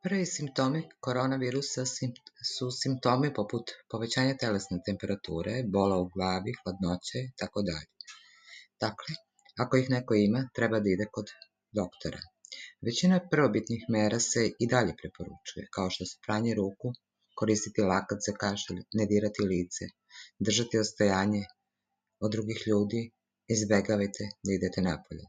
Prvi simptomi koronavirusa su simptomi poput povećanja telesne temperature, bola u glavi, hladnoće itd. Dakle, ako ih neko ima, treba da ide kod doktora. Većina prvobitnih mera se i dalje preporučuje, kao što su pranje ruku, koristiti lakac za kašalj, ne dirati lice, držati odstojanje od drugih ljudi, izbegavajte da idete napolje.